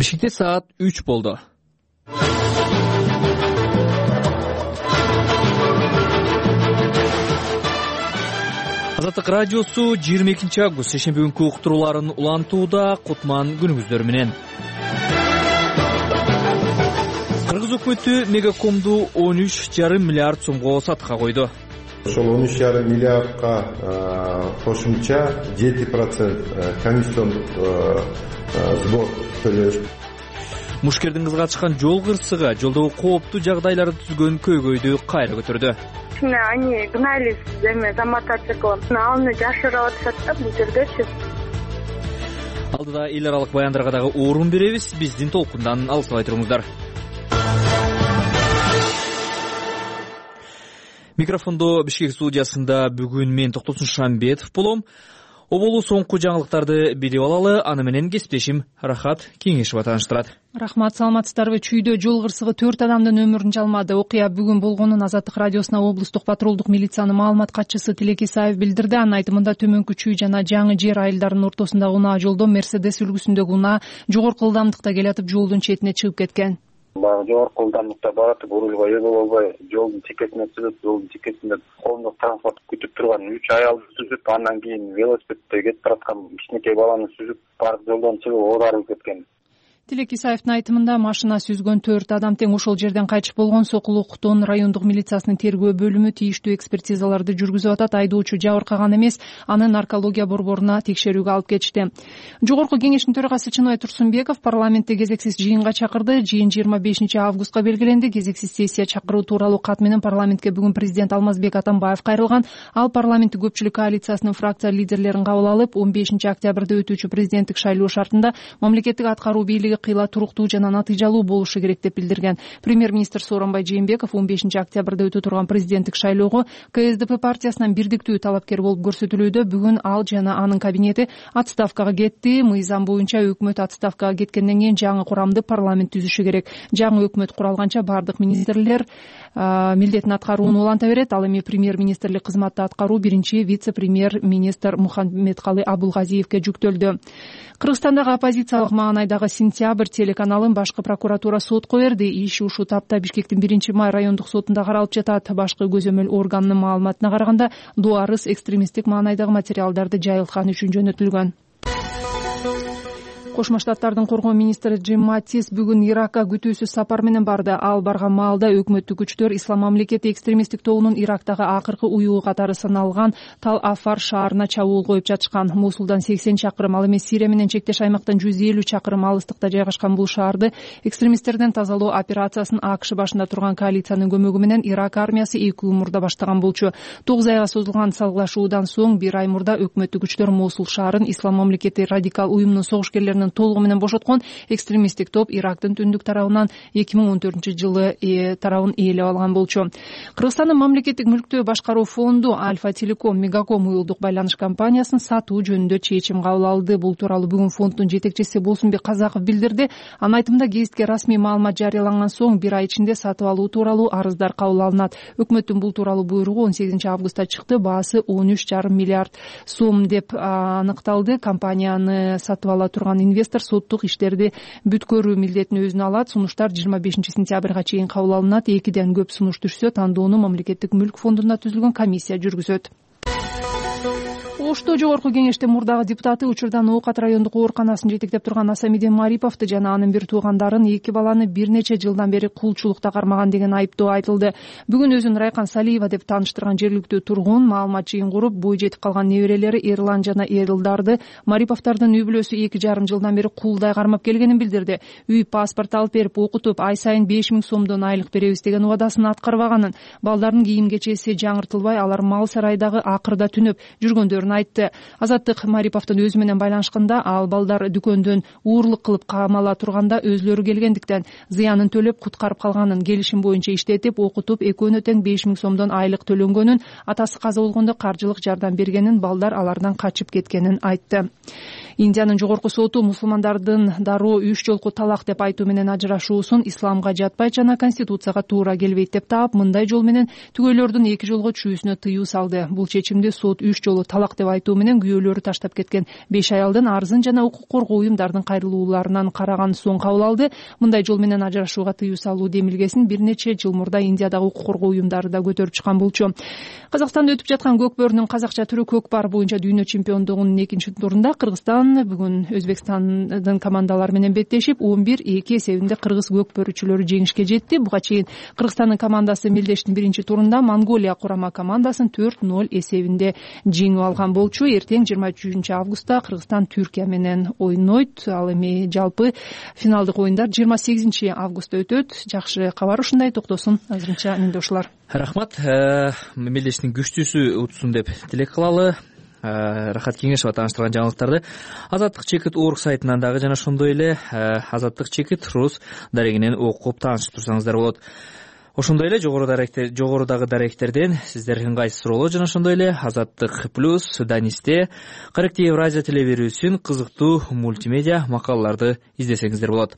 Бишкекте саат 3 болду. Азаттык радиосу 22 август шейшемби күнкү уктурууларын улантууда. Кутман күнүңүздөр менен. Кыргыз өкмөтү Мегакомду 13,5 миллиард сомго сатыкка койду. Ошол 13,5 миллиардка кошумча 7% комиссиондук сбор төлөш. Мушкердин кызга чыккан жол кырсыгы жолдогу кооптуу жагдайларды түзгөн көйгөйдү кайра көтөрдү. Они гнались за мотоциклом. Аны жашырып атышат да бул жердечи. Алдыда эл аралык баяндарга дагы орун беребиз. Биздин толкундан алыстабай туруңуздар. Микрофондо Бишкек студиясында бүгүн мен Токтосун Шамбетов болом. Оболу соңку жаңылыктарды билип алалы, аны менен кесиптешим Рахат Кеңешова тааныштырат. Рахмат, саламатсыздарбы? Чүйдө жол кырсыгы 4 адамдын өмүрүн жалмады. Окуя бүгүн болгонун Азаттык радиосуна облустук патрулдук милициянын маалымат катчысы Тилеки Исаев билдирди. Анын айтымында Төмөнкү Чүй жана Жаңы Жер айылдарынын ортосундагы унаа жолдо Мерседес үлгүсүндөгү унаа жогорку ылдамдыкта келатып жолдун четине чыгып кеткен. Баягы жогорку ылдамдыкта баратып урулга ээ боло албай жолдун чекесине чыгып, жолдун чекесинде коомдук транспорт күтүп турган 3 аялды сүзүп, андан кийин велосипедде кетип бараткан кичинекей баланы сүзүп барып жолдон чыгып оодарылып кеткен. Тилек Исаевдин айтымында машина сүзгөн 4 адам тең ошол жерден кайтыш болгон. Сокулук-Тон райондук милициясынын тергөө бөлүмү тийиштүү экспертизаларды жүргүзүп атат. Айдоочу жабыркаган эмес, аны наркология борборуна текшерүүгө алып кетишти. Жогорку кеңештин төрагасы Чыныбай Турсунбеков парламентте кезексиз жыйынга чакырды. Жыйын 25 августка белгиленди. Кезексиз сессия чакыруу тууралуу кат менен парламентке бүгүн президент Алмазбек Атамбаев кайрылган. Ал парламенттик көпчүлүк коалициясынын фракция лидерлерин кабыл алып, 15 октябрда өтүүчү президенттик шайлоо шартында мамлекеттик аткаруу бийлиги кыйла туруктуу жана натыйжалуу болушу керек деп билдирген. Премьер-министр Сооронбай Жээнбеков 15 октябрда өтө турган президенттик шайлоого КСДП партиясынан бирдиктүү талапкер болуп көрсөтүлүүдө. Бүгүн ал жана анын кабинети отставкага кетти. Мыйзам боюнча өкмөт отставкага кеткенден кийин жаңы курамды парламент түзүшү керек. Жаңы өкмөт куралганча бардык министрлер милдетин аткарууну уланта берет. Ал эми премьер-министрлик кызматты аткаруу биринчи вице-премьер-министр Мухаммедкалы Абулгазиевке жүктөлдү. Кыргызстандагы оппозициялык Маанайдагы Сентябрь телеканалын башкы прокуратура сотко берди. Иш ушул тапта Бишкектин 1-май райондук сотунда каралып жатат. Башкы көзөмөл органынын маалыматына караганда, Дуарыс экстремисттик маанайдагы материалдарды жайылткан үчүн жөнөтүлгөн. Кошмо Штаттардын коргоо министри Джим Маттис бүгүн Иракка күтүүсүз сапар менен барды. Ал барган маалда өкмөттүк күчтөр Ислам мамлекети экстремисттик тобунун Ирактагы акыркы уюу катары саналган Тал-Афар шаарына чабуул коюп жатышкан. Мусулдан 80 чакырым, ал эми Сирия менен чектеш аймактан 150 чакырым алыстыкта жайгашкан бул шаарды экстремисттерден тазалоо операциясын АКШ башында турган коалициянын көмөгү менен Ирак армиясы 2 үй мурда баштаган болчу. 9 айга созулган салгылашуудан соң 1 ай мурда өкмөттүк күчтөр Мусул шаарын Ислам мамлекети радикал уюмунун согушкерлеринин толугу менен бошоткон. Экстремисттик топ Ирактын түндүк тарабынан 2014-жылы тарабын ээлеп алган болчу. Кыргызстандын мамлекеттик мүлктү башкаруу фонду Альфа Телеком Мегаком уюлдук байланыш компаниясын сатуу жөнүндө чечим кабыл алды. Бул тууралуу бүгүн фонддун жетекчиси Болсунбек Казаков билдирди. Анын айтымында гезитке расмий маалымат жарыяланган соң 1 ай ичинде сатып алуу тууралуу арыздар кабыл алынат. Өкмөттүн бул тууралуу буйругу 18 августта чыкты. Баасы 13,5 миллиард сом деп аныкталды. Компанияны сатып ала турган инвестор соттук иштерди бүткөрүү милдетин өзүнө алат. Сунуштар 25 сентябрга чейин кабыл алынат. 2ден көп сунуш түшсө, тандоону мамлекеттик мүлк фондунда түзүлгөн комиссия жүргүзөт. Ошто жогорку кеңештин мурдагы депутаты учурдан Оокат райондук ооруканасын жетектеп турган Асамидин Мариповду жана анын бир туугандарын 2 баланы бир нече жылдан бери кулчулукта кармаган деген айыптоо айтылды. Бүгүн өзүн Райкан Салиева деп тааныштырган жергиликтүү тургун маалымат жыйын куруп, бой жетип калган неберелери Эрлан жана Эрилдарды Мариповдордун үй бүлөсү 2,5 жылдан бери кулдай кармап келгенин билдирди. Үй паспорт алып берип, окутуп, ай сайын 5000 сомдон айлык беребиз деген убадасын аткарбаганын, балдардын кийим кечеси жаңыртылбай, алар мал сарайдагы акырда түнөп жүргөндөрүн айтты. Азаттык Мариповдун өзү менен байланышканда, ал балдар дүкөндөн уурлук кылып камала турганда өзлөрү келгендиктен зыянын төлөп куткарып калганын, келишим боюнча иштетип, окутуп, экөөнө тең 5000 сомдон айлык төлөнгөнүн, атасы каза болгондо каржылык жардам бергенин, балдар алардан качып кеткенин айтты. Индиянын жогорку соту мусулмандардын дароо 3 жолку талак деп айтуу менен ажырашуусун исламга жатпайт жана конституцияга туура келбейт деп таап, мындай жол менен түгөйлөрдүн 2 жолго чүйүүсүнө тыюу салды. Бул чечимди сот 3 жолу талак деп айтуу менен күйөөлөрү таштап кеткен 5 аялдын арызын жана укук коргоо уюмдардын кайрылууларынан караган соң кабыл алды. Мындай жол менен ажырашууга тыюу салуу демилгесин бир нече жыл мурда Индиядагы укук коргоо уюмдары да көтөрүп чыккан болчу. Казакстанда өтүп жаткан көк бөрүнүн казакча түрү көкпар боюнча дүйнө чемпиондугунун 2-турунда Кыргызстан бүгүн Өзбекстандын командалары менен беттешип 11-2 эсебинде кыргыз көк бөрүчүлөрү жеңишке жетти. Буга чейин Кыргызстандын командасы мелдештин 1-турунда Монголия курама командасын 4-0 эсебинде жеңип алган болчу. Эртең 23-августта Кыргызстан Түркия менен ойнойт. Ал эми жалпы финалдык оюндар 28-августта өтөт. Жакшы кабар ушундай. Токтосун азырынча менде ушулар. Рахмат. Мелдештин күчтүүсү утсун деп тилек кылалы. Рахат Кеңешова тааныштырган жаңылыктарды Азаттык Чекит орг сайтынан дагы жана ошондой эле Азаттык Чекит рус дарегинен окуп таанышып турсаңыздар болот. Ошондой эле жогорудагы даректерден сиздер ыңгайсыз суроолор жана ошондой эле Азаттык плюс Данисте Корректив Евразия телеберүүсүн кызыктуу мультимедиа макалаларды издесеңиздер болот.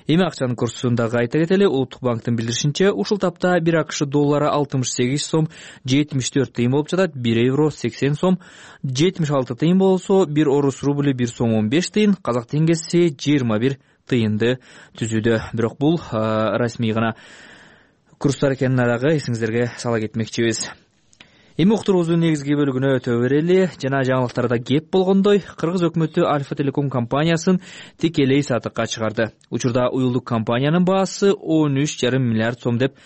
Эми акчанын курсун дагы айта кетели. Улуттук банктын билдиришинче, ушул тапта 1 АКШ доллары 68 сом 74 тыйын болуп жатат, 1 евро 80 сом 76 тыйын болсо, 1 орус рубль 1 сом 15 тыйын, казак теңгеси 21 тыйынды түзүүдө. Бирок бул расмий гана курстар экенин дагы эсиңиздерге сала кетмекчибиз. Эми уктуруубуздун негизги бөлүгүнө өтө берели. Жана жаңылыктарда кеп болгондой, Кыргыз өкмөтү Альфа Телеком компаниясын тикелей сатыкка чыгарды. Учурда уюлдук компаниянын баасы 13,5 миллиард сом деп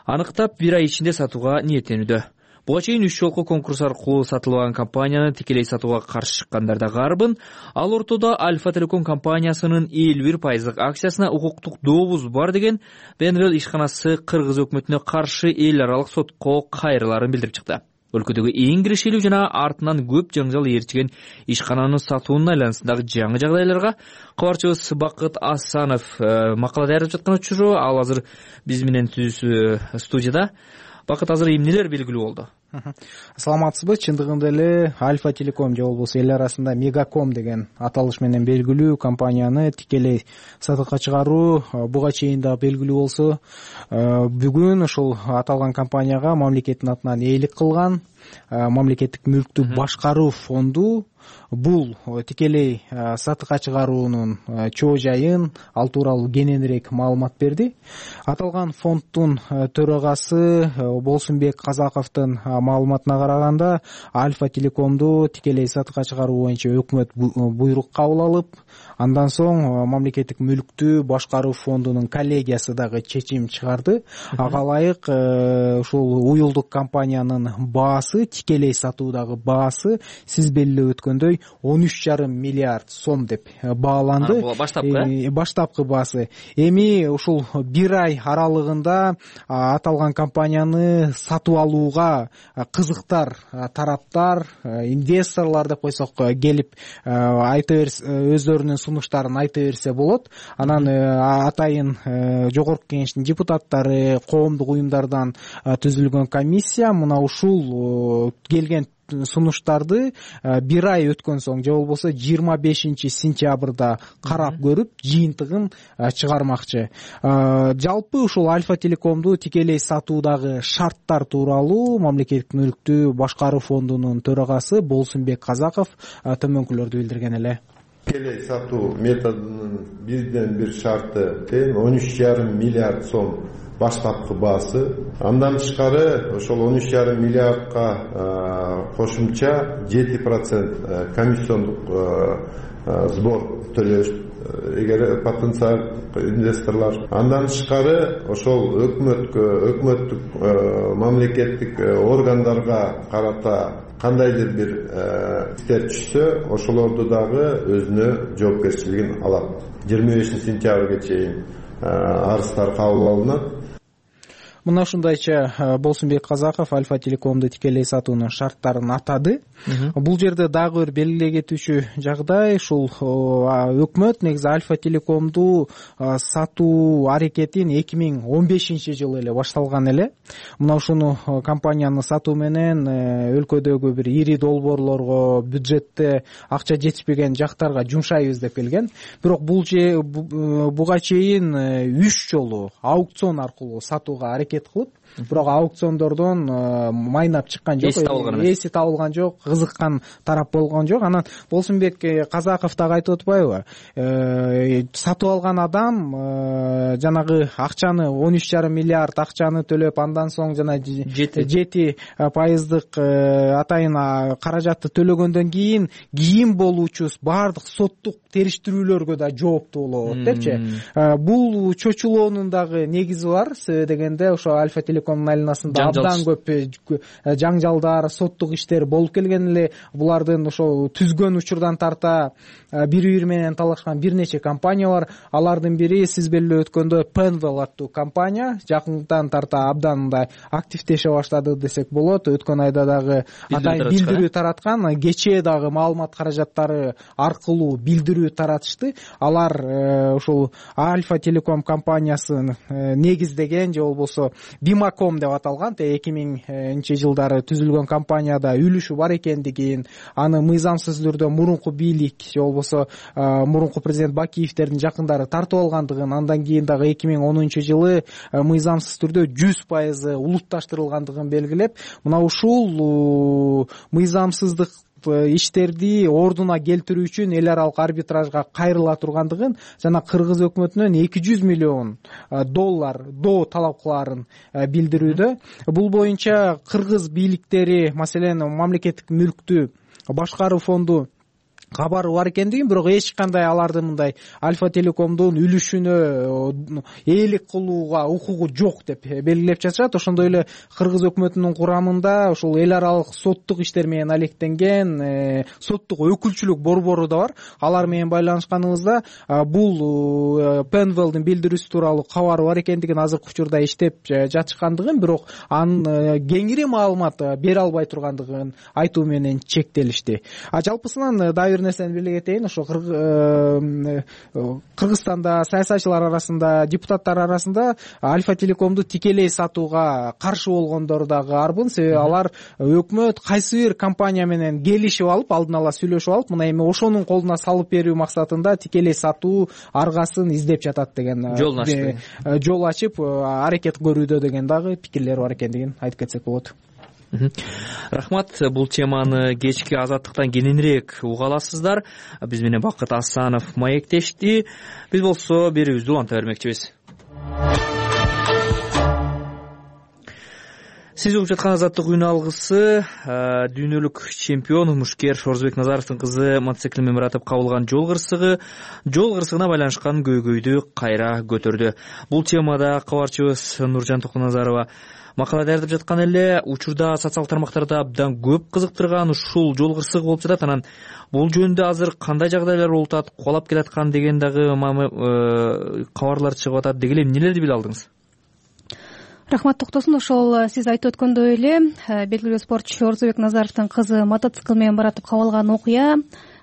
аныктап, 1 ай ичинде сатууга ниеттенүүдө. Буга чейин 3 жолку конкурс аркылуу сатылган компанияны тикелей сатууга каршы чыккандар да гарбын. Ал ортодо Альфа Телеком компаниясынын 51% акциясына укуктук дообуз бар деген Бенвел ишканасы Кыргыз өкмөтүнө каршы эл аралык сотко кайрыларын билдирип чыкты. Өлкөдөгү эң кирешелүү жана артынан көп жаңжал ээрчиген ишкананын сатуунун айланасындагы жаңы жагдайларга кабарчыбыз Бакыт Асанов макала даярдап жаткан учуру, ал азыр биз менен түзүүсү студияда. Бакыт, азыр эмнелер белгилүү болду? Саламатсызбы? Чындыгында эле Альфа Телеком же болбосо эл арасында Мегаком деген аталыш менен белгилүү компанияны тикелей сатыкка чыгаруу буга чейин да белгилүү болсо, бүгүн ушул аталган компанияга мамлекеттин атынан ээлик кылган мамлекеттик мүлктү башкаруу фонду бул тикелей сатыкка чыгаруунун чоо жайын, ал тууралуу кененирээк маалымат берди. Аталган фонддун төрагасы Болсунбек Казаковдун маалыматына караганда, Альфа Телекомду тикелей сатыкка чыгаруу боюнча өкмөт буйрук кабыл алып, андан соң мамлекеттик мүлктү башкаруу фондунун коллегиясы дагы чечим чыгарды. Ага ылайык ушул уюлдук компаниянын баасы, тикелей сатуудагы баасы сиз белгилеп өткөндөй 13,5 миллиард сом деп бааланды. Баштапкы баасы. Эми ушул 1 ай аралыгында аталган компанияны сатып алууга кызыктар тараптар, инвесторлор деп койсок, келип айта берсе, өздөрүнүн сунуштарын айта берсе болот. Анан атайын жогорку кеңештин депутаттары, коомдук уюмдардан түзүлгөн комиссия мына ушул келген сунуштарды 1 ай өткөн соң же болбосо 25-сентябрда карап көрүп, жыйынтыгын чыгармакчы. Жалпы ушул Альфа Телекомду тикелей сатуудагы шарттар тууралуу мамлекеттик мүлктү башкаруу фондунун төрагасы Болсунбек Казаков төмөнкүлөрдү билдирген эле. Тикелей сатуу методунун бирден бир шарты тең 13,5 миллиард сом баштапкы баасы. Андан тышкары ошол 13,5 миллиардка кошумча 7% комиссиондук сбор төлөш эгер потенциалдык инвесторлор. Андан тышкары ошол өкмөттүк мамлекеттик органдарга карата кандайдыр бир иштер түшсө, ошолорду дагы өзүнө жоопкерчилигин алат. 25 сентябрга чейин арыздар кабыл алынат. мына ушундайча Болсунбек Казаков Альфа Телекомду тикелей сатуунун шарттарын атады. Бул жерде дагы бир белгилей кетүүчү жагдай, ушул өкмөт негизи Альфа Телекомду сатуу аракетин 2015-жылы эле башталган эле. Мына ушуну компанияны сатуу менен өлкөдөгү бир ири долбоорлорго, бюджетте акча жетишпеген жактарга жумшайбыз деп келген. Бирок буга чейин 3 жолу аукцион аркылуу сатууга аракет кылып, бирок аукциондордон майнап чыккан жок, эси табылган жок, кызыккан тарап болгон жок. Анан Болсунбек Казаков дагы айтып атпайбы, сатып алган адам жанагы акчаны 13,5 миллиард акчаны төлөп, андан соң жана 7% атайын каражатты төлөгөндөн кийин болуучу баардык соттук териштирүүлөргө да жооптуу болот депчи. Бул чочулоонун дагы негизи бар. Себеби дегенде ошо Альфа Телекомдун айланасында абдан көп жаңжалдар, соттук иштер болуп келген эле. Булардын ошо түзгөн учурдан тарта бири-бири менен талашкан бир нече компания бар. Алардын бири сиз белгилеп өткөндөй Penwell аттуу компания жакындан тарта абдан мындай активдеше баштады десек болот. Өткөн айда дагы атайын билдирүү тараткан, кечээ дагы маалымат каражаттары аркылуу билдирүү таратышты. Алар ушул Альфа Телеком компаниясын негиздеген же болбосо Бимаком деп аталган 2000-жылдары түзүлгөн компанияда үлүшү бар экендигин, аны мыйзамсыз түрдө мурунку бийлик же болбосо мурунку президент Бакиевдердин жакындары тартып алгандыгын, андан кийин дагы 2010-жылы мыйзамсыз түрдө 100% улутташтырылгандыгын белгилеп, мына ушул мыйзамсыздык иштерди ордуна келтирүү үчүн эл аралык арбитражга кайрыла тургандыгын жана кыргыз өкмөтүнөн $200 миллион доо талап кылаарын билдирүүдө. Бул боюнча кыргыз бийликтери, маселен, мамлекеттик мүлктү башкаруу фонду кабары бар экендигин, бирок эч кандай алардын мындай Альфа Телекомдун үлүшүнө ээлик кылууга укугу жок деп белгилеп жатышат. Ошондой эле кыргыз өкмөтүнүн курамында ушул эл аралык соттук иштер менен алектенген соттук өкүлчүлүк борбору да бар. Алар менен байланышканыбызда бул Penwellдин билдирүүсү тууралуу кабары бар экендигин, азыркы учурда иштеп жатышкандыгын, бирок анын кеңири маалымат бере албай тургандыгын айтуу менен чектелишти. Жалпысынан бир нерсени беле кетейин. Ошо Кыргызстанда саясатчылар арасында, депутаттар арасында Альфа Телекомду тикелей сатууга каршы болгондор дагы арбын. Себеби алар өкмөт кайсы бир компания менен келишип алып, алдын ала сүйлөшүп алып, мына эми ошонун колуна салып берүү максатында тикелей сатуу аргасын издеп жатат деген, жол ачып аракет көрүүдө деген дагы пикирлер бар экендигин айтып кетсек болот. Рахмат. Бул теманы кечки Азаттыктан кененирээк уга аласыздар. Биз менен Бакыт Асанов маектешти. Биз болсо берүүбүздү уланта бермекчибиз. Сиз угуп жаткан Азаттык үн алгысы дүйнөлүк чемпион мушкер Орзубек Назаровдун кызы мотоцикл менен баратып кабылган жол кырсыгына байланышкан көйгөйдү кайра көтөрдү. Бул темада кабарчыбыз Нуржан Токуназарова макала даярдап жаткан эле. Учурда социалдык тармактарда абдан көп кызыктырган ушул жол кырсыгы болуп жатат. Анан бул жөнүндө азыр кандай жагдайлар болуп атат, кубалап келаткан деген дагы кабарлар чыгып атат. Деги эмнелерди биле алдыңыз? Рахмат Токтосун. Ошол сиз айтып өткөндөй эле белгилүү спортчу Орзубек Назаровдун кызы мотоцикл менен баратып кабылган окуя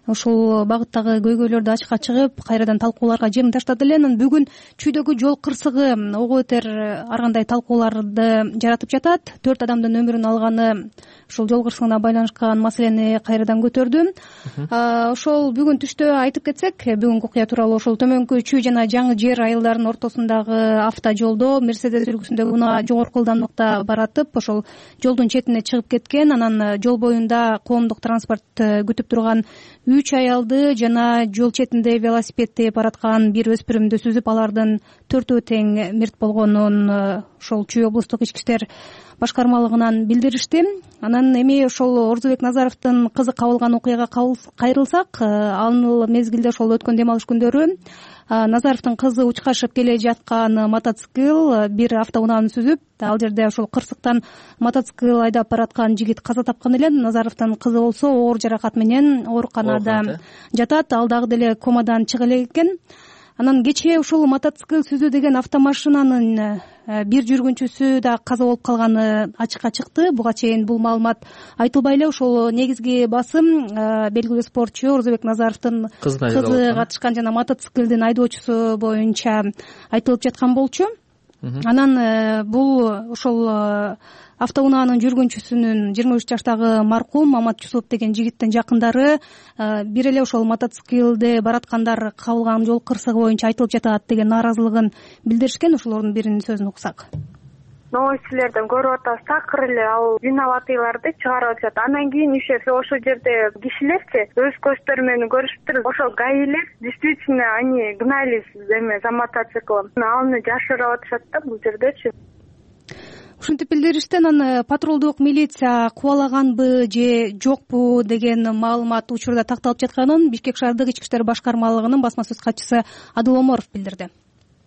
ушул багыттагы көйгөйлөрдү ачыкка чыгып, кайрадан талкууларга жем таштады эле. Анан бүгүн чүйдөгү жол кырсыгы ого бетер ар кандай талкууларды жаратып жатат. 4 адамдын өмүрүн алганы ушул жол кырсыгына байланышкан маселени кайрадан көтөрдү. Ошол бүгүн түштө айтып кетсек, бүгүнкү окуя тууралуу ошол Төмөнкү Чүй жана Жаңы Жер айылдарынын ортосундагы автожолдо Мерседес үлгүсүндөгү унаа жогорку ылдамдыкта баратып, ошол жолдун четине чыгып кеткен. Анан жол боюнда коомдук транспорт күтүп турган 3 аялды жана жол четинде велосипед тээп бараткан бир өспүрүмдү сүзүп, алардын 4-өө тең мерт болгонун ошол Чүй облустук ички иштер башкармалыгынан билдиришти. Анан эми ошол Орзубек Назаровдун кызы кабылган окуяга кайрылсак, ал мезгилде ошол өткөн дем алыш күндөрү Назаровдун кызы учкашып келе жаткан мотоцикл бир автоунааны сүзүп, ал жерде ошол кырсыктан мотоцикл айдап бараткан жигит каза тапкан эле. Назаровдун кызы болсо оор жаракат менен ооруканада жатат. Ал дагы деле комадан чыга элек экен. Анан кечээ ушул мотоцикл сүзүү деген автомашинанын бир жүргүнчүсү да каза болуп калганы ачыкка чыкты. Буга чейин бул маалымат айтылбай эле ошол негизги басым белгилүү спортчу Орзобек Назаровдун кызы катышкан жана мотоциклдин айдоочусу боюнча айтылып жаткан болчу. Анан бул ошол автоунаанын жүргүнчүсүнүн 23 жаштагы маркум Мамат Жусуп деген жигиттин жакындары бир эле ошол мотоциклде бараткандар кабылган жол кырсыгы боюнча айтылып жатат деген нааразылыгын билдиришкен. Ошолордун биринин сөзүн уксак. Новостилерден көрүп атабыз, такыр эле ал виноватыйларды чыгарып атышат. Андан кийин еще ошол жерде кишилерчи өз көздөрү менен көрүшүптүр. Ошол гаилер действительно они гнались за мотоциклом. Аны жашырып атышат да бул жердечи. Ушинтип билдиришти. Анан патрулдук милиция кубалаганбы же жокпу деген маалымат учурда такталып жатканын Бишкек шаардык ички иштер башкармалыгынын басма сөз катчысы Адыл Оморов билдирди.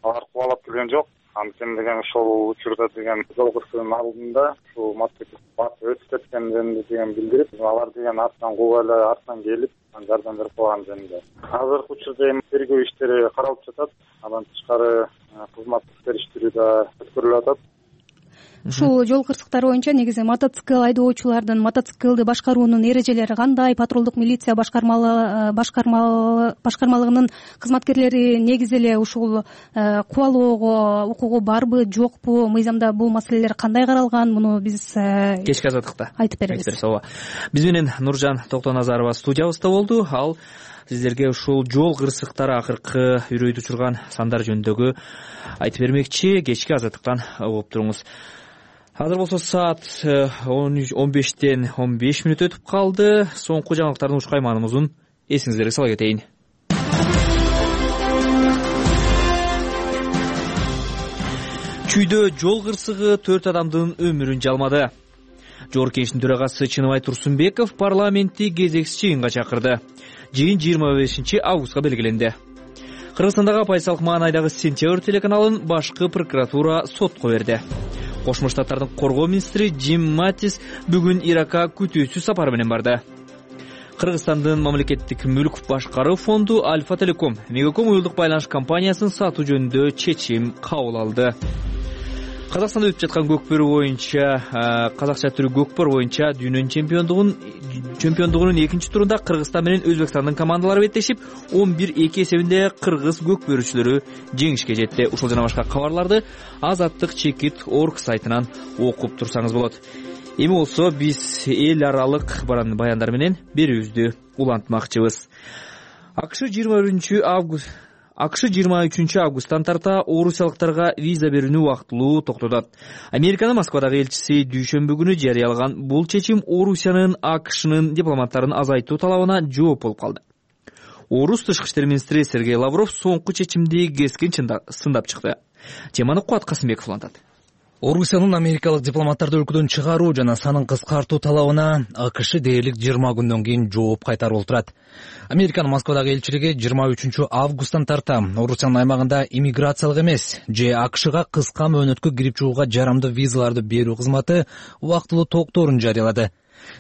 Алар кубалап келген жок. Анткени деген ошол учурда деген жол кырсыгынын алдында ушул мотоцикл басып өтүп кеткен жөнүндө деген билдирип, алар деген артынан кууп эле артынан келип жардам берип калган жөнүндө. Азыркы учурда эми тергөө иштери каралып жатат. Андан тышкары кызматтык териштирүү да өткөрүлүп атат. Ушул жол кырсыктары боюнча негизи мотоцикл айдоочулардын мотоциклди башкаруунун эрежелери кандай, патрулдук милиция башкармалыгынын кызматкерлери негизи эле ушул кубалоого укугу барбы, жокпу, мыйзамда бул маселелер кандай каралган, муну биз кечки азаттыкта айтып беребиз. Ооба. Биз менен Нуржан Токтоназарова студиябызда болду. Ал сиздерге ушул жол кырсыктары акыркы үрөйдү учурган сандар жөнүндөгү айтып бермекчи. Кечки азаттыктан угуп туруңуз. Азыр болсо саат 15-тен 15 мүнөт өтүп калды. Соңку жаңылыктардын уч кайманыбызын эсиңиздерге сала кетейин. Чүйдө жол кырсыгы 4 адамдын өмүрүн жалмады. Жогорку Кеңештин төрагасы Чыныбай Турсунбеков парламентти кезексиз жыйынга чакырды. Жыйын 25 августка белгиленди. Кыргызстандагы Пайсалык маанайдагы Сентябрь телеканалын башкы прокуратура сотко берди. Кошмо Штаттардын коргоо министри Джим Маттис бүгүн Иракка күтүүсүз сапар менен барды. Кыргызстандын мамлекеттик мүлк башкаруу фонду Альфа Телеком Мегаком уюлдук байланыш компаниясын сатуу жөнүндө чечим кабыл алды. Казакстанда өтүп жаткан көкпөр боюнча, казакча түрү көкпөр боюнча дүйнөнүн чемпиондугунун экинчи турунда Кыргызстан менен Өзбекстандын командалары беттешип, 11-2 эсебинде кыргыз көкпөрүүчүлөрү жеңишке жетти. Ушул жана башка кабарларды Азаттык чекит орг сайтынан окуп турсаңыз болот. Эми болсо биз эл аралык баяндар менен берүүбүздү улантмакчыбыз. АКШ 23 августтан тарта орусиялыктарга виза берүүнү убактылуу токтотот. Американын Москвадагы элчиси дүйшөмбү күнү жарыялаган бул чечим Орусиянын АКШнын дипломаттарын азайтуу талабына жооп болуп калды. Орус тышкы иштер министри Сергей Лавров соңку чечимди кескин сындап чыкты. Теманы Кубат Касымбеков улантат. Орусиянын америкалык дипломаттарды өлкөдөн чыгаруу жана санын кыскартуу талабына АКШ дээрлик 20 күндөн кийин жооп кайтарып отурат. Американын Москвадагы элчилиги 23 августтан тарта Орусиянын аймагында иммиграциялык эмес же АКШга кыска мөөнөткө кирип чыгууга жарамдуу визаларды берүү кызматы убактылуу токторун жарыялады.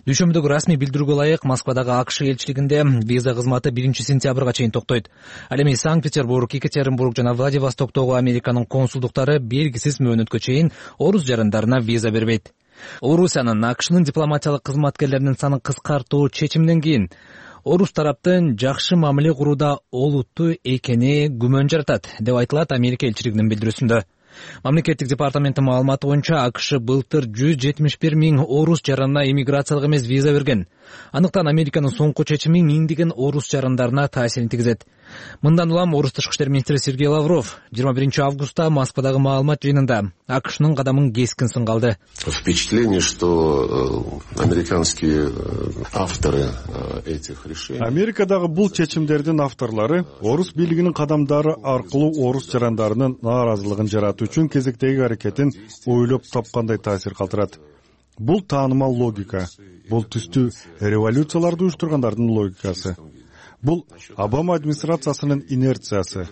Дүйшөмбүдөгү расмий билдирүүгө ылайык Москвадагы АКШ элчилигинде виза кызматы 1 сентябрга чейин токтойт. Ал эми Санкт-Петербург, Екатеринбург жана Владивостоктогу Американын консулдуктары белгисиз мөөнөткө чейин орус жарандарына виза бербейт. Орусиянын АКШнын дипломатиялык кызматкерлеринин санын кыскартуу чечиминен кийин орус тараптын жакшы мамиле курууда олуттуу экени күмөн жаратат, деп айтылат Америка элчилигинин билдирүүсүндө. Мамлекеттик департаменттин маалыматы боюнча АКШ былтыр 171 000 орус жаранына иммиграциялык эмес виза берген. Андыктан Американын соңку чечими миңдеген орус жарандарына таасирин тийгизет. Мындан улам орус тышкы иштер министри Сергей Лавров 21 августта Москвадагы маалымат жыйынында АКШнын кадамын кескин сынга алды. Впечатление, что американские авторы этих решений. Америкадагы бул чечимдердин авторлору орус бийлигинин кадамдары аркылуу орус жарандарынын нааразылыгын жаратуу үчүн кезектеги аракетин ойлоп тапкандай таасир калтырат. Бул таанымал логика. Бул түстүү революцияларды уюштургандардын логикасы. Бул Обама администрациясынын инерциясы.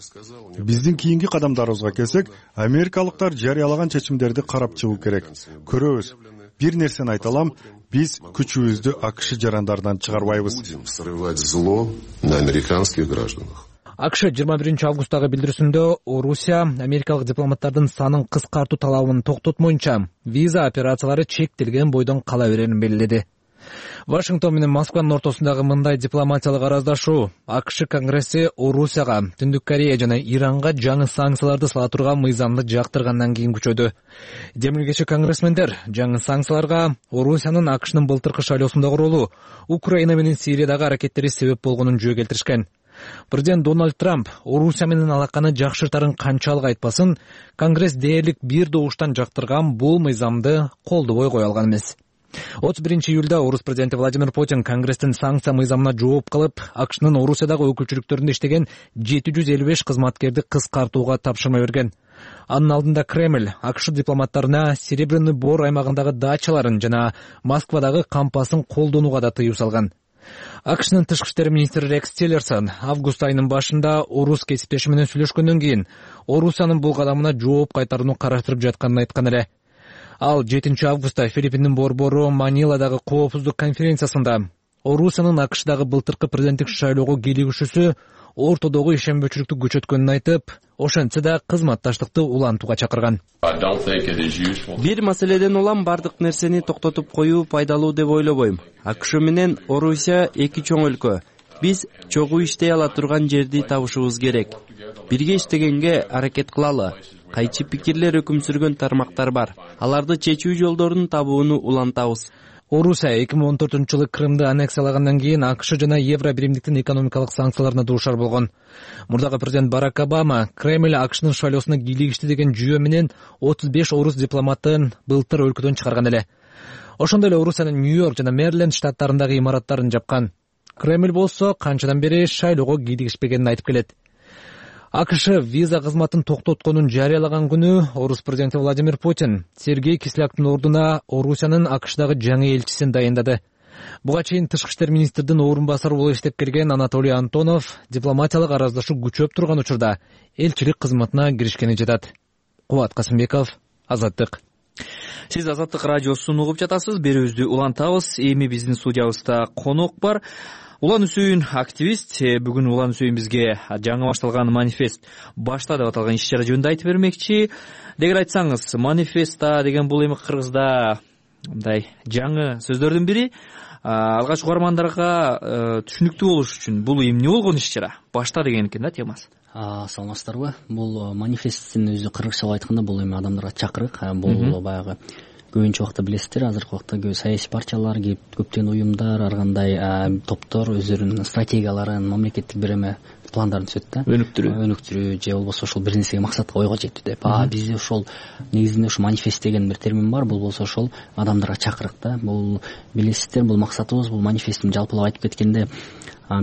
Биздин кийинки кадамдарыбызга келсек, америкалыктар жарыялаган чечимдерди карап чыгуу керек. Көрөбүз. Бир нерсени айта алам, биз күчүбүздү АКШ жарандарынан чыгарбайбыз. Срывать зло на американских гражданах. АКШ 21 августтагы билдирүүсүндө Орусия америкалык дипломаттардын санын кыскартуу талабын токтотмоюнча виза операциялары чектелген бойдон кала берерин белгиледи. Вашингтон менен Москванын ортосундагы мындай дипломатиялык араздашуу АКШ Конгресси Орусияга, Түндүк Корея жана Иранга жаңы санкцияларды сала турган мыйзамды жактыргандан кийин күчөдү. Демилгечи конгрессмендер жаңы санкцияларга Орусиянын АКШнын былтыркы шайлоосундагы ролу, Украина менен Сириядагы аракеттери себеп болгонун жөө келтиришкен. Президент Дональд Трамп Орусия менен алаканы жакшыртарын канчалык айтпасын, Конгресс дээрлик бир добуштан жактырган бул мыйзамды колдобой кое алган эмес. 31 июлда орус президенти Владимир Путин Конгресстин санкция мыйзамына жооп кылып, АКШнын Орусиядагы өкүлчүлүктөрүндө иштеген 755 кызматкерди кыскартууга тапшырма берген. Анын алдында Кремль АКШ дипломаттарына Серебряный Бор аймагындагы дачаларын жана Москвадагы кампасын колдонууга да тыюу салган. АКШнын тышкы иштер министри Рекс Тиллерсон август айынын башында орус кесиптеши менен сүйлөшкөндөн кийин Орусиянын бул кадамына жооп кайтарууну караштырып жатканын айткан эле. Ал 7 августта Филиппиндин борбору Маниладагы коопсуздук конференциясында Орусиянын АКШдагы былтыркы президенттик шайлоого кийлигишүүсү ортодогу ишенбөөчүлүктү күчөткөнүн айтып, ошентсе да кызматташтыкты улантууга чакырган. Бир маселеден улам бардык нерсени токтотуп коюу пайдалуу деп ойлобойм. АКШ менен Орусия эки чоң өлкө. Биз чогуу иштей ала турган жерди табышыбыз керек. Бирге иштегенге аракет кылалы. Кайчы пикирлер өкүм сүргөн тармактар бар. Аларды чечүү жолдорун табууну улантабыз. Орусия 2014-жылы Крымды аннексиялагандан кийин АКШ жана Евро биримдиктин экономикалык санкцияларына дуушар болгон. Мурдагы президент Барак Обама Кремль АКШнын шайлоосуна кийлигишти деген жүйө менен 35 орус дипломатын былтыр өлкөдөн чыгарган эле. Ошондой эле Орусиянын Нью-Йорк жана Мэриленд штаттарындагы имараттарын жапкан. Кремль болсо канчадан бери шайлоого кийлигишпегенин айтып келет. АКШ виза кызматын токтотконун жарыялаган күнү орус президенти Владимир Путин Сергей Кисляктын ордуна Орусиянын АКШдагы жаңы элчисин дайындады. Буга чейин тышкы иштер министрдин орун басары болуп иштеп келген Анатолий Антонов дипломатиялык араздашуу күчөп турган учурда элчилик кызматына киришкени жатат. Кубат Касымбеков, Азаттык. Сиз Азаттык радиосун угуп жатасыз. Берүүбүздү улантабыз. Эми биздин студиябызда конок бар. Улан Үсөйүн активист. Бүгүн Улан Үсөйүн бизге жаңы башталган манифест башта деп аталган иш-чара жөнүндө айтып бермекчи. Дегер айтсаңыз, манифеста деген бул эми кыргызда мындай жаңы сөздөрдүн бири. Алгач угармандарга түшүнүктүү болуш үчүн бул эмне болгон иш-чара? Башта деген экен да темасы. Саламатсыздарбы? Бул манифесттин өзү кыргызчалап айтканда бул эми адамдарга чакырык. Бул баягы көбүнчө убакта билесиздер, азыркы убакта көп саясий партиялар, көптөгөн уюмдар, ар кандай топтор өздөрүнүн стратегияларын, мамлекеттик бир эме пландарын түзөт да. Өнүктүрүү же болбосо ошол бир нерсеге максатка ойго жетүү деп. Бизде ошол негизинде ошо манифест деген бир термин бар. Бул болсо ошол адамдарга чакырык да. Бул билесиздер, бул максатыбыз, бул манифесттин жалпылап айтып кеткенде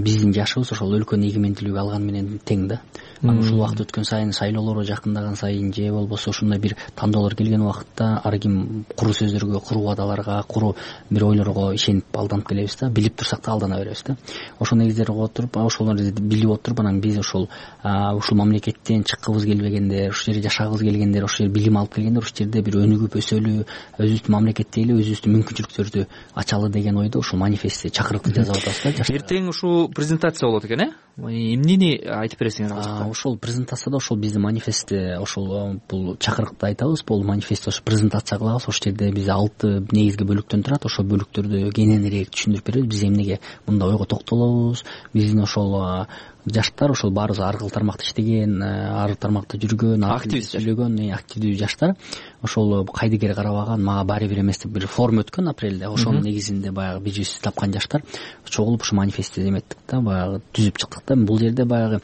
биздин жашыбыз ошол өлкөнүн эгемендүүлүгү алган менен тең да. Анан ушул убакыт өткөн сайын, шайлоолор жакындаган сайын же болбосо ушундай бир тандоолор келген убакытта ар ким куру сөздөргө, куру убадаларга, куру бир ойлорго ишенип алданып келебиз да. Билип турсак да алдана беребиз да. Ошол негиздерге отуруп, ошолорду билип отуруп, анан биз ушул мамлекеттен чыккыбыз келбегендер, ушул жерде жашагыбыз келгендер, ушул жерде билим алып келгендер, ушул жерде бир өнүгүп өсөлү, өзүбүздүн мамлекетте эле өзүбүздүн мүмкүнчүлүктөрдү ачалы деген ойдо ушул манифестти чакырыкты жазып атабыз да. Эртең ушул презентация болот экен, эмнени айтып бересиңер? Ошол презентацияда ошол биздин манифестти, ошол бул чакырыкты айтабыз, бул манифестти ошо презентация кылабыз. Ошол жерде биз 6 негизги бөлүктөн турат. Ошол бөлүктөрдү кененирээк түшүндүрүп беребиз. Биз эмнеге мындай ойго токтолобуз, биздин ошол жаштар, ошол баарыбыз ар кыл тармакта иштеген, ар тармакта жүргөн, активдүү жаштар, ошол кайдыгер карабаган, мага баары бир эмес деп бир форум өткөн апрелде. Ошонун негизинде баягы бижибизди тапкан жаштар чогулуп ушу манифестти эметтик да, баягы түзүп чыктык да. Бул жерде баягы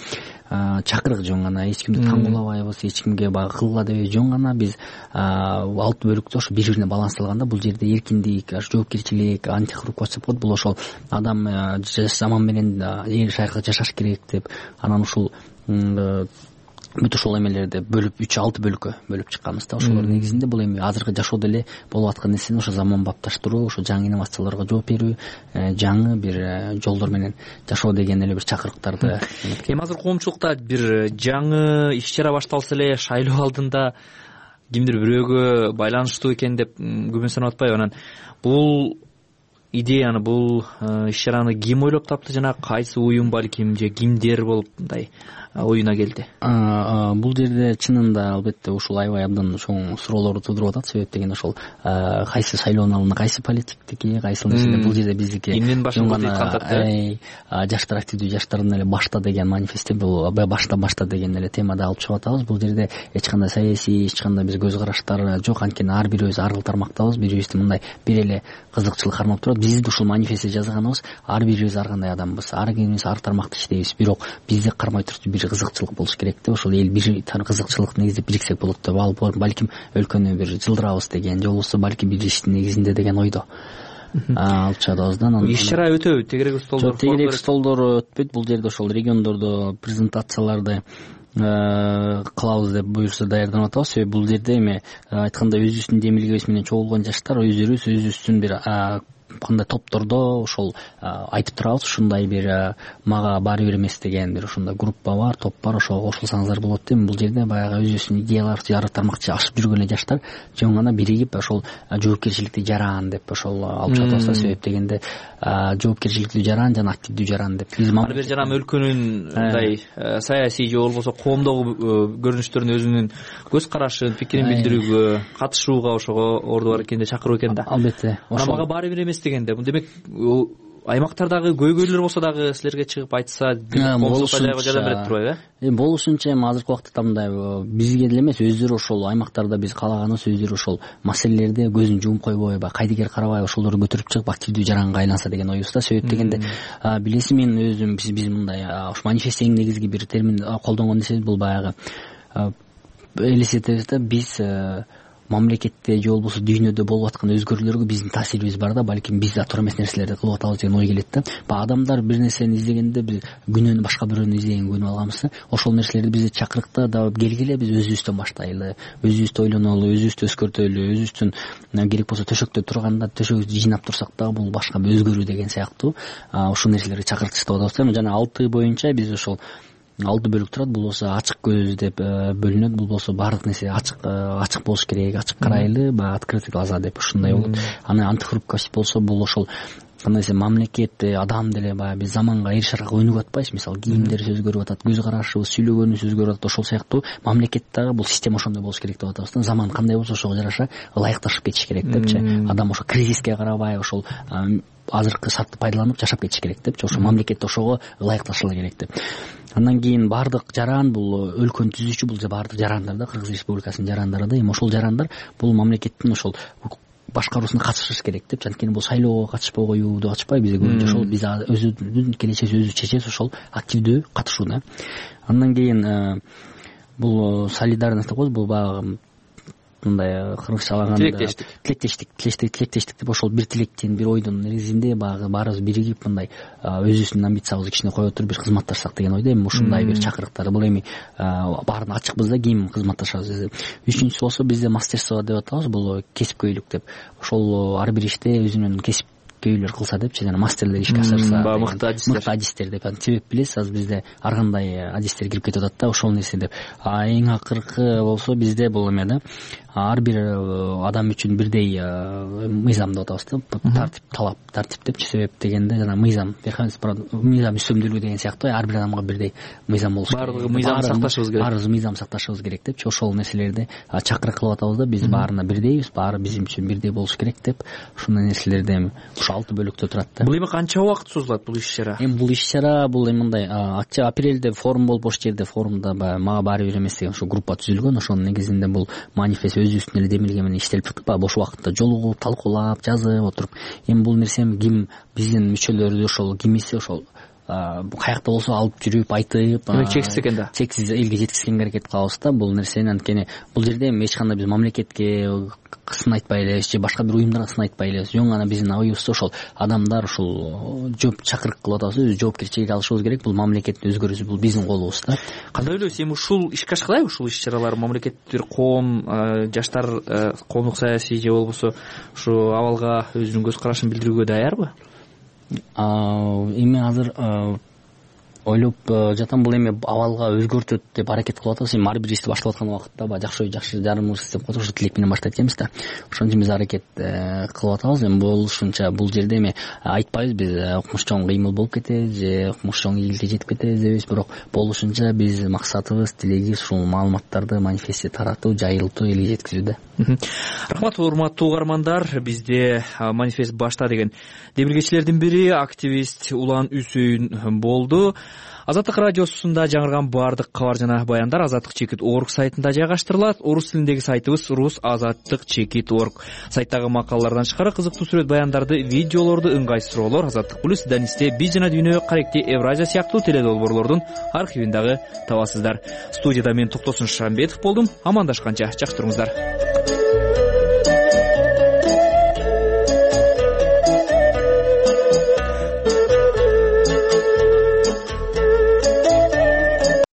чакырык жөн гана, эч кимди таңгуулабайбыз, эч кимге баягы кылгыла дебей жөн гана биз 6 бөлүктө ошо бири бирине балансталганда, бул жерде эркиндик, жоопкерчилик, антикоррупция болот. Бул ошол адам заман менен эл шайкы жашаш керек деп, анан ушул бүт ошол эмелерди бөлүп 3-6 бөлүккө бөлүп чыкканбыз да. Ошолор негизинде бул эми азыркы жашоодо эле болуп аткан нерсени ошо заманбапташтыруу, ошо жаңы инновацияларга жооп берүү, жаңы бир жолдор менен жашоо деген эле бир чакырыктарды. Эми азыр коомчулукта бир жаңы иш-чара башталса эле шайлоо алдында кимдир бирөөгө байланыштуу экен деп күмөнсөнүп атпайбы? Анан бул идеяны, бул иш чараны ким ойлоп тапты жана кайсы уюм балким же кимдер болуп мындай оюна келди? Бул жерде чынында албетте ушул аябай абдан чоң суроолорду туудуруп атат. Себеп дегенде ошол кайсы шайлоонун алдында кайсы политиктики, кайсы нерселер. Бул жерде биздики эмнен башталат дейт кантат, жаштар активдүү жаштардын эле башта деген манифестте, бул башта деген эле темада алып чыгып атабыз. Бул жерде эч кандай саясий, эч кандай биз көз караштар жок. Анткени ар бирибиз ар кыл тармактабыз, бирибизди мындай бир эле кызыкчылык кармап турат. Биз ушул манифестте жазганыбыз ар бирибиз ар кандай адамбыз, ар бирибиз ар тармакта иштейбиз. Бирок бизди кармай туруп бир кызыкчылык болуш керек деп, ошол эл бир кызыкчылык негизде бириксек болот деп, ал балким өлкөнү бир жылдырабыз деген, же болбосо балким бир иштин негизинде деген ойдо алып чыгабыз да. Иш чара өтөбү? Тегерек столдор өтпөйт. Бул жерде ошол региондордо презентацияларды кылабыз деп буюрса даярданып атабыз. Себеби бул жерде эми айткандай өзүбүздүн демилгебиз менен чогулган жаштар өзүбүздүн бир кандай топтордо ошол айтып турабыз. Ушундай бир мага баары бир эмес деген бир ушундай группа бар, топ бар, ошого кошулсаңыздар болот дейм. Бул жерде баягы өзүбүздүн идеяларды ар тармакча ашып жүргөн эле жаштар жөн гана биригип ошол жоопкерчиликтүү жаран деп ошол алып чыгып атабыз. Себеп дегенде жоопкерчиликтүү жаран жана активдүү жаран деп биз ар бир жаран өлкөнүн мындай саясий же болбосо коомдогу көрүнүштөрүн өзүнүн көз карашын, пикирин билдирүүгө, катышууга ошого орду бар экенде чакыруу экен да. Албетте. Мага баары бир эмес дегенде, бул демек аймактардагы көйгөйлөр болсо дагы силерге чыгып айтса жардам берип турбайбы? Болушунча эми азыркы убакытта мындай бизге деле эмес, өздөрү ошол аймактарда биз каалаганыбыз өздөрү ошол маселелерди көзүн жумуп койбой, кайдыгер карабай ошолорду көтөрүп чыгып активдүү жаранга айланса деген оюбуз да. Себеп дегенде билесиз, мен өзүм биз мындай ушу манифестте эң негизги бир термин колдонгон нерсебиз бул баягы элестетебиз да, биз мамлекетте же болбосо дүйнөдө болуп аткан өзгөрүүлөргө биздин таасирибиз бар да, балким биз да туура эмес нерселерди кылып атабыз деген ой келет да. Адамдар бир нерсени издегенде биз күнөөнү башка бирөөнү издегенге күнүп алганбыз. Ошол нерселерди бизди чакырыкта да келгиле, биз өзүбүздөн баштайлы, өзүбүздү ойлонолу, өзүбүздү өзгөртөлү, өзүбүздүн керек болсо төшөктө турганда төшөгүбүздү жыйнап турсак дагы бул башка бир өзгөрүү деген сыяктуу ушул нерселерди чакыртып атабыз. Жана 6 боюнча биз ошол 6 бөлүк турат. Бул болсо ачык көз деп бөлүнөт. Бул болсо баардык нерсе ачык болуш керек, ачык карайлы, баягы открытый глаза деп ушундай болот. Аны антихрупкость болсо бул ошол кандай десем, мамлекет, адам деле баягы биз заманга эр шаракка өнүгүп атпайбыз. Мисалы кийимдер өзгөрүп атат, көз карашыбыз, сүйлөгөнүбүз өзгөрүп атат. Ошол сыяктуу мамлекет дагы бул система ошондой болуш керек деп атабыз да. Заман кандай болсо ошого жараша ылайыкташып кетиш керек депчи. Адам ошо кризиске карабай ошол азыркы шартты пайдаланып жашап кетиш керек депчи. Ошо мамлекет ошого ылайыкташыла керек деп. Андан кийин баардык жаран бул өлкөнү түзүүчү, бул баардык жарандар да, Кыргыз Республикасынын жарандары да. Эми ошол жарандар бул мамлекеттин ошол башкаруусуна катышыш керек депчи. Анткени бул шайлоого катышпай коюуду ачпайбы, бизге көбүнчө ошол биз өзүбүздүн келечегибизди өзүбүз чечебиз, ошол активдүү катышуу да. Андан кийин бул солидарность деп коебуз, бул баягы мындай кыргызча алаганда тилектештик деп ошол бир тилектин, бир ойдун негизинде баарыбыз биригип мындай өзүбүздүн амбициябызды кичине кое туруп бир кызматташсак деген ойдо. Эми ушундай бир чакырыктар, бул эми баарына ачыкпыз да, ким кызматташабыз. Үчүнчүсү болсо бизде мастерство деп атабыз, бул кесипкөйлүк деп. Ошол ар бир иште өзүнүн кесипкөйлөр кылса депчи, жана мастерлер ишке ашырса, мыкты адистер деп. Себеп билесиз, азыр бизде ар кандай адистер кирип кетип атат да, ошол нерсе деп. Эң акыркы болсо бизде бул эме да, ар бир адам үчүн бирдей мыйзам деп атабыз да, тартип депчи. Себеп дегенде жана мыйзам үстөмдүүлүгү деген сыяктуу, ар бир адамга бирдей мыйзам болуш керек. Баардыгы мыйзам сакташыбыз керек. Баарыбыз мыйзам сакташыбыз керек депчи. Ошол нерселерди чакырык кылып атабыз да, биз баарына бирдейбиз, баары биз үчүн бирдей болуш керек деп. Ушундай нерселерди эми ушу 6 бөлүктө турат да. Бул эми канча убакыт созулат бул иш чара? Эми бул иш чара бул эми мындай апрелде форум болуп, ошол жерде форумда мага баары бир эмес деген ошо группа түзүлгөн. Ошонун негизинде бул манифест өзүбүздүн эле демилге менен иштелип чыкты. Бош убакытта жолугуп, талкуулап, жазып отуруп. Эми бул нерсе ким биздин мүчөлөрдү ошол кимиси ошол каякта болсо алып жүрүп, айтып, чексиз экен да, чексиз элге жеткизгенге аракет кылабыз да бул нерсени. Анткени бул жерде эч кандай биз мамлекетке сын айтпай элебиз же башка бир уюмдарга сын айтпай элебиз. Жөн гана биздин оюбуз ошол адамдар ушул жооп чакырык кылып атабыз, өз жоопкерчилик алышыбыз керек. Бул мамлекеттин өзгөрүүсү, бул биздин колубузда. Кандай ойлойсуз, эми ушул ишке ашкылайбы, ушул иш чаралар мамлекеттир, коом, жаштар коомдук саясий же болбосо ушу абалга өзүнүн көз карашын билдирүүгө даярбы? Эми азыр ойлоп жатам, бул эми абалга өзгөртөт деп аракет кылып атабыз. Эми ар бир ишти баштап аткан убакытта баягы жакшы жарымыбыз деп коет, ошо тилек менен баштайт экенбиз да. Ошон үчүн биз аракет кылып атабыз. Эми болушунча бул жерде эми айтпайбыз биз укмуш чоң кыймыл болуп кетет же укмуш чоң ийгиликке жетип кетебиз дебейбиз, бирок болушунча биз максатыбыз, тилегибиз ушул маалыматтарды, манифестти таратуу, жайылтуу, элге жеткизүү да. Рахмат, урматтуу угармандар. Бизде манифест башта деген демилгечилердин бири активист Улан Үсөйүн болду. Азаттык радиосунда жаңырган баардык кабар жана баяндар azattik.org сайтында жайгаштырылат. Орус тилиндеги сайтыбыз rus.azattik.org. Сайттагы макалалардан тышкары кызыктуу сүрөт баяндарды, видеолорду, ыңгай суроолор Азаттык плюс Данисте Би жана Дүйнө, Каректи, Евразия сыяктуу теледолбоорлордун архивин дагы табасыздар. Студияда мен Токтосун Шамбетов болдум. Амандашканча жакшы туруңуздар.